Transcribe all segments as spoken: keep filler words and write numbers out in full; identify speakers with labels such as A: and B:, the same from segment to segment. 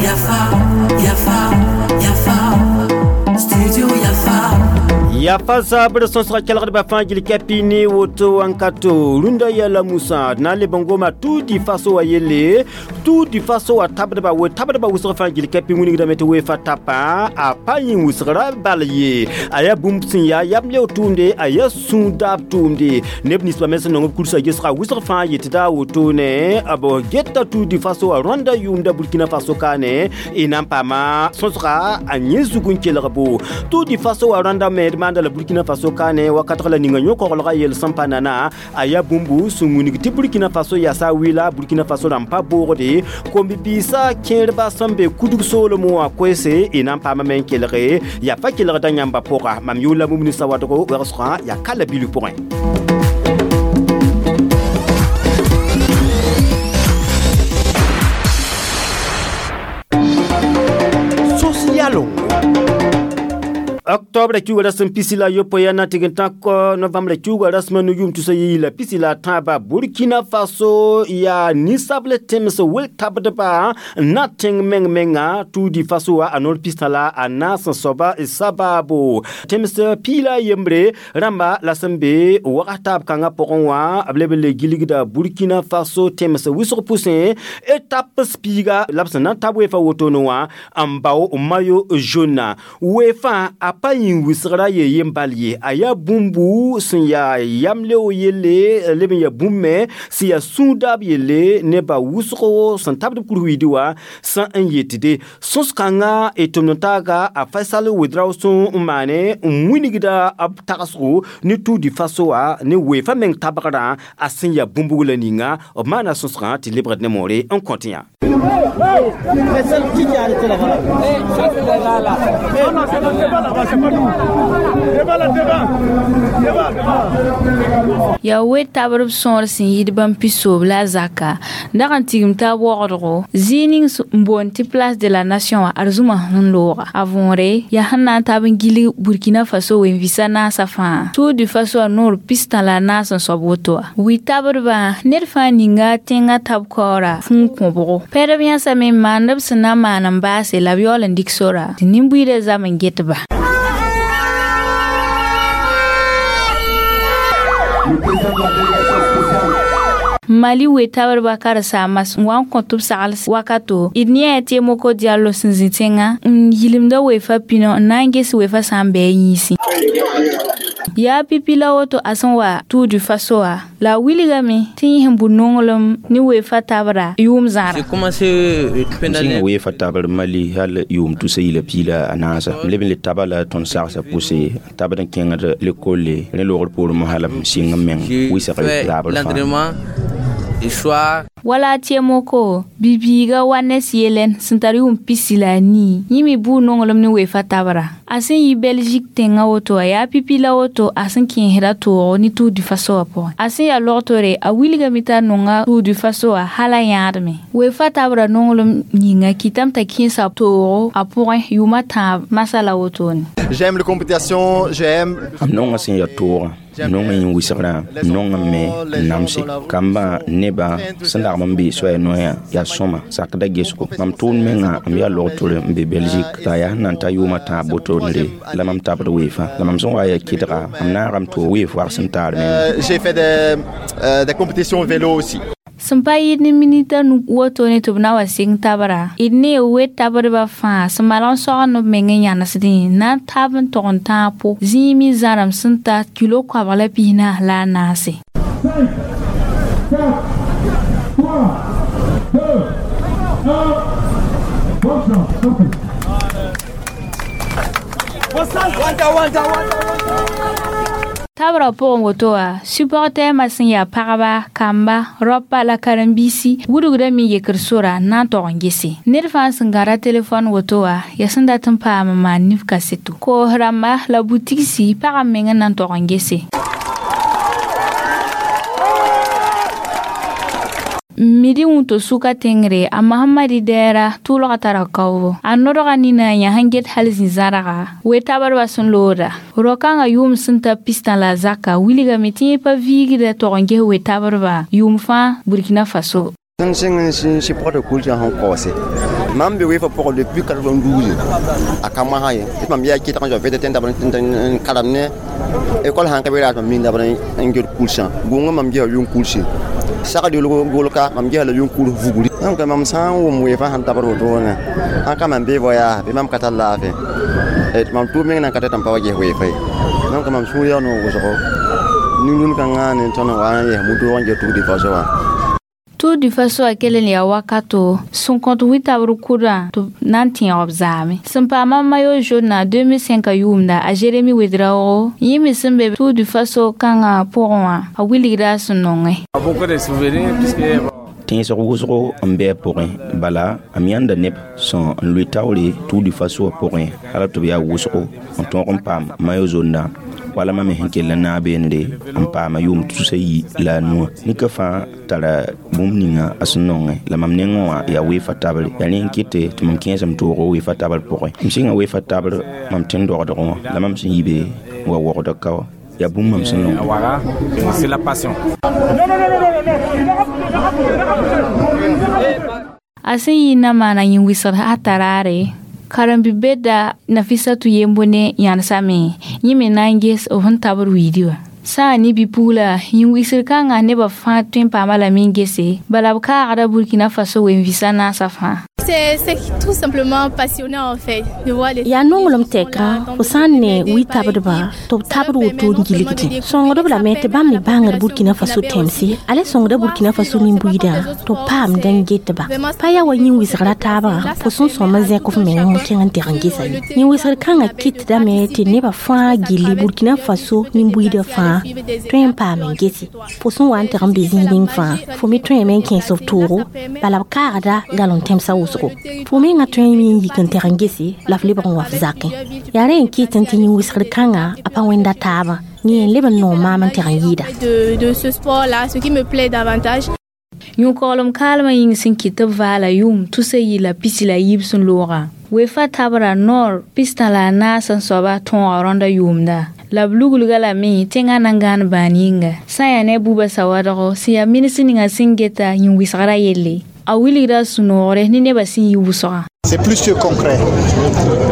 A: Yafa, Yafa, Yafa, Studio Yafa.
B: Yafa sabr sõsga kelgdbã fãa gil kapi ne woto wãnkato rũndã yɛla musã d na n leb n goma Tour du Faso wã yelle. Tour du Faso wã tabdba we tabdba wʋsg fãa gil kapi wilgdame tɩ weefa tapã a pa yẽ wʋsgra bal ye a yaa bũmb sẽn yaa yam leo tʋʋmde a yaa sũ-daab tʋʋmde neb ninsbã me sẽn nong b kursa gesga wʋsg fãa yetɩ daa wotone b geta Tour du Faso wã Rwanda yʋʋmda Burkina Faso kaane y na n paama sõsga a yẽ zug n kelgbo. Tour du Faso wã Rwanda me d maanda la Burkina Faso kaane wakatg la ninga yõ-koglga yel sẽn pa nana a yaa bũmbu sẽn wilg tɩ Burkina Faso yasa wɩla Burkina Faso rãmb pa boogde kom-bibiisã kẽerba sẽn be kudg soolem wã koɛɛse y na n paamame n kelge yaa pa kelgda yãmba pʋga mam yʋʋla mumni sawadgo wegsgã yaa ka la bilg pʋgẽ.
C: Sos yalongo.
B: Octobre kiuga rasem pisi la yopoe ya na tɩg n tãk novembre kiuga rasmã no yʋʋm tusa yi la pisi la tãaba Burkina Faso yaa ninsabl tẽms wel tabdba n na tẽng meng menga Tour du Faso wã a noor pistã la a naas n soaba sabaabo tẽms piila yembre rãmba la sẽn be wagas taab kãngã pʋgẽ wã b leb n le gilgda Burkina Faso tẽms wʋsg pʋsẽ étape piiga la b sẽn na n tab weefã wotone wã n bao maillot jaune weefã a pa yĩn wɩsgra ye yem bal ye a yaa bũmbu sẽn yaa yam-leoog yelle leb n yaa bũmb me sẽn yaa sũudaab yelle nebã wʋsgo sẽn tabd b kur-wiidi wã sã n yetde sõs-kãngã y tʋmd n taaga a Faisal Ouedraogo sẽn n maane n wilgda b tagsgo ne Tour du Faso wã ne weefã meng tabgrã a sẽn yaa bũmb la ninga b maana sõsgã tɩ lebgd ne moore n kõt yã.
D: C'est qui qui a arrêté là-bas? Non, non, c'est devant là-bas, c'est pas nous. Devant là, devant. Devant, devant.
E: Yaa we tabr b sõor sẽn yid bãmb pisoob la a zaka dag n tigim taab waoogdgo zĩig ning n boond tɩ Place de la Nation wã ad zũma sẽn looga a võore yaa sẽn na n tab n gilg Burkina Faso wen-vɩsa naasã fãa Tour du Faso a noor pistã la a naas n soab woto wã wi tabdbã ned fãa ninga tẽngã tab kaoora fũu kõbgo pɛdb yãsame n maand b sẽn na n maan n baase la b yaool n dɩk sora tɩ nin-buiidã zam n get-ba. Mali we tabdba karen-saambã n wa n kõt b sagl wakato d yẽ tɩ Moko Diallo sẽn zĩ tẽngã n yilimda weefã pĩnã n na n ges weefã sã n bɩ a yĩnsẽ yaa pipi la woto a sẽn wa Tour du Faso wã la a wilgame tɩ yẽ sẽn bʋ nonglem ne weefã tabra yʋʋm zãra.
F: J'ai commencé pendant
G: sẽn weefa tabr Mali hal yʋʋm tusa yila piila a naasa m leb n le taba la tõnd sagsã pʋse tabd n kẽngd lekole rẽ loogr poorẽ mosã la m sɩng n meng
F: J'ai
G: wɩsg
F: fait
G: taabr fãa.
F: l'entraînement le soir.
E: Wala tɩ-moko bibiiga wa nes yelen sẽn tar yʋʋm pisi la a nii yẽ me bʋʋ nonglem ne weefã tabra a sẽn yi Belgique tẽngã woto a yaa pipi la woto a sẽn kẽesda toogo ne Tour du Faso wã pʋgẽ a sẽn yaa logtore a wilgame t'a nonga Tour du Faso wã hal a yãadme weefã tabra nonglem yĩnga kɩtame t'a kẽesa toogo a pʋgẽ yʋʋma tãab masã la wotone.
H: J'aime la compétition, j'aime
G: M nonga sẽn yaa toogã m nonga yẽ wɩsgrã m nonga me n namse kambã nebã sẽn lagm n be soaya noyã yaa sõma sakda gesgo mam tʋʋn menga m yaa log-tore n be Belgique la yaa sẽn na n ta yʋʋmã tãab wotone la mam tabd weefã la mam sẽn wa yaa kɩdga m naagame tɩ weef wags n taar menga.
H: Euh, j'ai fait des, euh, des compétitions vélo aussi.
E: Sẽn pa yɩɩd ne minita nu wotone tɩ b na wa sɩng tabra d ne we tabdbã fãa sẽn malg n sogend b meng n yãnesdẽ na n tab n tog n tãag po zĩig me zãrem sẽn ta kilo koabg la pis-naas la a naase.
I: cinq, quatre, trois, deux, un. Bonne chance, sortez.
D: Wanta, wanta, wanta.
E: Tabra pʋgẽ woto wã supportɛɛmã sẽn yaa pagba kamba raopa la karen-biisi wudgda me yekr sora n na n tog n gese ned fãa sẽn gãda telefon woto wã yaa sẽn dat n paam n maan nif kaseto koos rãmba la butigsi pag n meng n na n tog n gese. Midi wũnto sʋka tẽngre a Mahamadi dɛɛra tʋʋlga tara kaoobo. A nodga nina yã sẽn get hal zĩ-zãrga we-tabdbã sẽn looda. Rao-kãngã yʋʋm sẽn ta pistã la a zaka wilgame tɩ yẽ pa viigda tog n ges we-tabdbã yʋʋm fãa Burkina Faso.
J: Sẽn sɩng n sɩ pɔgd kulsã sẽn kaoose mam be weefã pʋgẽ depuis quatre-vingt-douze a ka mosã ye tɩ mam yaa kɩtg n zao vtt n dabd n karem ne école sãn ka be raas mam min dabd n get kulsã gʋngã mam gesa yʋng kulse sagd golka mam gesa la yʋng kuls vugri donc mam sã n wʋm weefã sẽn tabd wotone sãn ka mam bee voyage bɩ mam ka tar laafɩ mam tʋʋm meng nan ka tɩ m pa wa ges weefã ye donc mam sũur yaa noog wʋsgo nin-rũnd kãngã ne tõnd n wa n yɛs mu-doog n get Tour du Faso wã.
E: Tour du Faso a kell n yaa wakato sẽn kõt wɩ-tabr kʋdã tɩ b na n tẽeg b zaame. Sẽn paama maillot jaune na deux mille cinq yʋʋmda a Jérémy Ouedraogo yẽ me sẽn be Tour du Faso kãngã pʋgẽ wã a wilgda a sẽn nongẽ.
G: Tẽesg wʋsgo n bɩ a pʋgẽ bala a me yãnda neb sẽn n lʋɩ taoore Tour du Faso wã pʋgẽ hal tɩ b yaa wʋsgo n tõog n paam maillot jaune wala mam me sẽn kell n naag beene n paama yʋʋm tusa yi la a nuã nika fãa tara bũmb ninga a sẽn nongẽ la mam nengẽ wã yaa weefa tabre yaa rẽ n kɩte tɩ mam kẽesem toogo weefa tabr pʋgẽ m sɩnga weefa tabr mam tẽn dogdgẽ wã la mam sẽn yi be wa wogda ka wã yaa bũmb mam sẽn nongẽ.
E: A sẽn yɩ na maana yĩn wɩsgd a taraare karen-bi-beda Nafisatu yembo ne yãnesame yẽ me na n ges b sẽn tabd wiidi wã. Sã n ne bi-pugla yĩn-wigsr kãngã nebã fãa tõe n paama lame n gese bala b kaagda Burkina Faso wen-vɩsã naasã fãa.
K: C'est tout simplement passionnant en fait de voir les
L: yaa nonglem tɛka fo sã n ne wɩ-tabdba tɩ b tabd woto n gilgdẽ sõngdb lame tɩ bãmb me bãngd Burkina Faso tẽmse a le sõngda Burkina Faso nin-buiidã tɩ b paamd n getba pa yaa wa yĩn-wɩsgrã taabã fo sẽn sõm n zẽk f meng n kẽng n teg n gesa ye yĩn-wɩsgr kãngã kɩtdame tɩ nebã fãa gilli Burkina Faso nin-buiidã fãa tõe n paam n gese fo sẽn wa n teg n be zĩig ning fãa fo me tõeme n kẽes f toogo bala b kaagda galon tẽmsã wʋsgo fo mengã tõe n mi n yik n teg n gese la f lebg n wa f zakẽ yaa rẽ n kɩt tɩ yĩn-wɩsgr kãngã a pa wẽnda taabã yẽ n leb n noog maam n teg n yɩɩda.
K: De ce sport là, ce qui me plaît davantage.
E: Yũ-koglem kaalmã yĩng sẽn kɩt tɩ b vaala yʋʋm tusa yɩ la pisi la yiib sẽn loogã weefa tabra noor pistã la a naas n soaba tõoga rõnda yʋʋmda la b luglga lame tẽngã na n gãan bãan yĩnga sã n yaa ne a Buba Sawadgo sẽn yaa mins ninga sẽn geta yĩn-wɩsgrã yelle a wilgda a sũ-noogre ne nebã sẽn yi wʋsgã.
M: C'est plus que concret.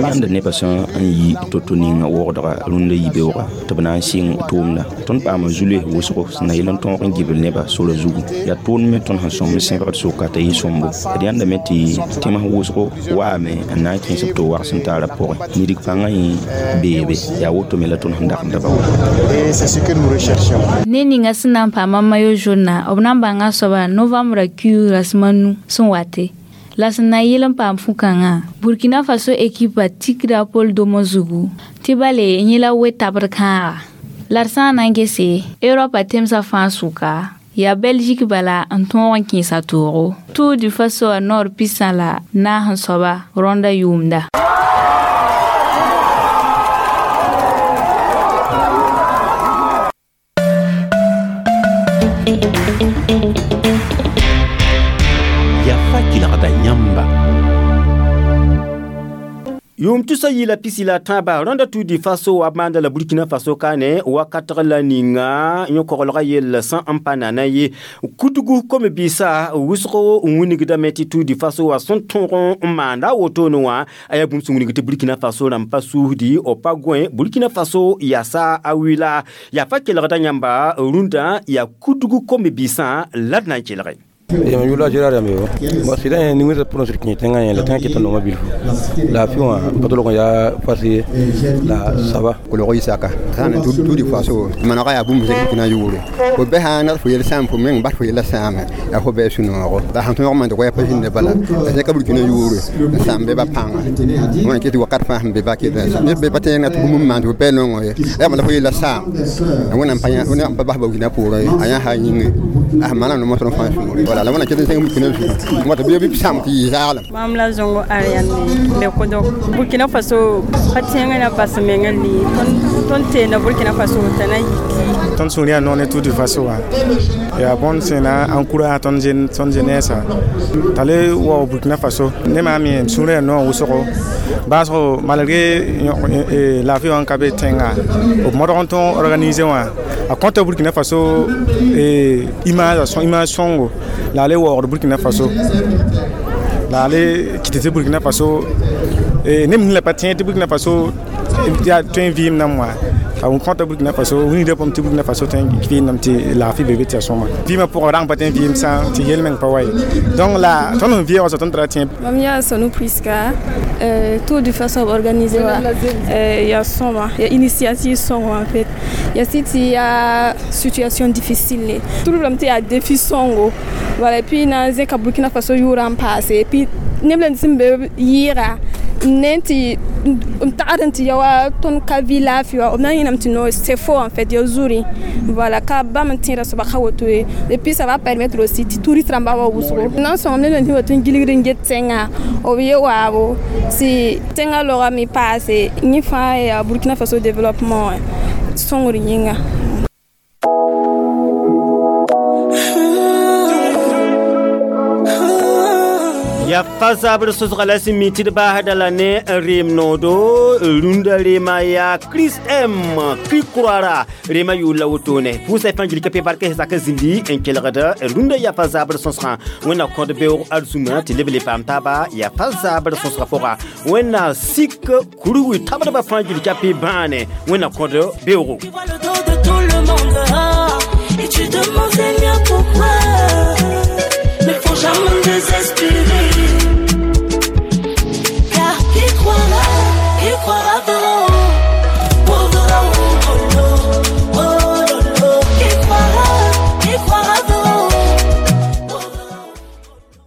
G: Yãmb nebã sẽn n yi to-to ninga wogdga rũndã yibeoogã tɩ b na n sɩng tʋʋmda tõnd paama zu-loees wʋsgo sẽn na yel n tõog n gibl nebã sora zugu yaa tʋʋmd me tõnd sẽn sõm n sẽbgd soka t'a yɩ sõmbo d yãndame tɩ tẽms wʋsgo waame n na n kẽes b to wags n taara pʋgẽ nidg pãngã yẽ beebe yaa woto me la tõnd sẽn dagmda ba wa.
M: Et c'est ce que nous recherchons.
E: Ne ninga sẽn na n paama maillot jaune na b na n bãnga soaba novembrã kiuug rasem a nu sẽn wate la sẽn na n yɩl n paam fu-kãngã Burkina Faso ekipa tikda Paul Domo zugu tɩ bale yẽ la we-tabd kãaga la d sã n na n gese Europa tẽmsã fãa sʋka yaa Belgique bala n tõog n kẽesa toogo Tour du Faso a noor pistã la naas n soaba rõnda yʋʋmda.
B: Yʋʋm tusa yɩ la pisi la tãaba rõnda Tour du Faso wa maanda la Burkina Faso kaane wakatg la ninga yõ-koglgã yell sẽn n pa nana ye kudgu kom-biisã wʋsgo n wilgdame tɩ Tour du Faso wa sẽn tõog n maanda a wotone wã a yaa bũmb sẽn wilg tɩ Burkina Faso rãmb pa suusdi b pa gõe Burkina Faso yaasa a wɩla yaa fa kelgda yãmba rũndã yaa kudgu kom-biisã la d na n kelge.
N: Yam yula Gérard Yambe bon sida ni wisa prononcer ki tenga la tenga ki tono mabil la fiwa patolo ko ya fasi la saba
H: ko lo isaka kana tu tu di faso mana ya bum se kina yure ko be hana fo yel sam fo men ba fo yel sam ya fo be suno ko da han to man ko ya pajin de bala se ka burkina yure sam be ba panga mo ke ti wakat fa be ba ke da ne be patenga tu bum man to be no ya ya ma fo yel sam wona panya wona pa ba burkina puro aya ha yin ah mana no mo to fa su la wana kete senga burkina su mo to be bi sam ti zalam
O: mam la zongo ariane be ko dok Burkina Faso patenga na bas menga li ton ton te na Burkina Faso tana yiki
M: Tõnd sũur yaa noog ne Tour du Faso wã yaa bõnd sẽn na n encourage tõnd tõnd jeunesse t'a le wao Burkina Faso ne maam yẽ sũurã yaa noog wʋsgo baasgo malgré laafɩ wã n ka be tẽnga b modg n tõog organiser wã a kõta Burkina Faso image image sõngo la a le waoogd Burkina Faso la a le kɩt tɩ Burkina Faso neb ning la pa tẽeg tɩ Burkina Faso yaa tõe n vɩɩm nam wã a kõta Burkina Faso wilgda pʋgẽ tɩ Burkina Faso tõe n vɩɩmdame tɩ laafɩ be be tɩ yaa sõma vɩɩmã pʋgã rag n pa tõe n vɩɩm sã tɩ yel-meng pa wa ye donc la tõnd sẽn vɩɩg wã tõnd tara tẽeb.
K: Mam yaa Sonou Priska, euh, Tour du Faso organisé wa euh, ya sõma ya initiative sõngo en fait ya sɩ tɩ yaa situation difficile tout le tɩ yaa défi sõngo voilà et puis na n zẽka Burkina Faso yʋʋrã n paase et puis neb la sẽn be yɩɩga n tɩ n tagd n tɩ ya wa tõnd ka vɩ laafɩ wa b na n yẽnam tɩ no c'est faux en fait ya zuri voilà ka bãmb n tẽeda soaba ka woto ye et puis ça va permettre aussi tɩ touriste rãmba wa wʋsgo na n sõngame neb tɩ wa tɩ n gilgd n get tẽngã b ye waabo tɩ tẽngã logame paase yẽ fãa yaa Burkina Faso développement sõngr yĩnga.
B: Ya fa zabr sosga la sẽn mi tɩ d baasda la ne reem noodo rũndã reema yaa Chris M Krikroara reema yʋʋr la wotone pʋʋsa fãa gilka pe barka sak zĩndi n kelgd rũndã yaa fa zabr sõsgã wẽnna kõd beoog arzũmã tɩ leb le paam taaba yaa fa zabr sõsgã pʋga wẽnna sik kurwi tabdbã fãa gilka pe bãane wẽnna kõd beoogo.
A: Et tu demandes Seigneur pourquoi. Mais faut jamais désespérer.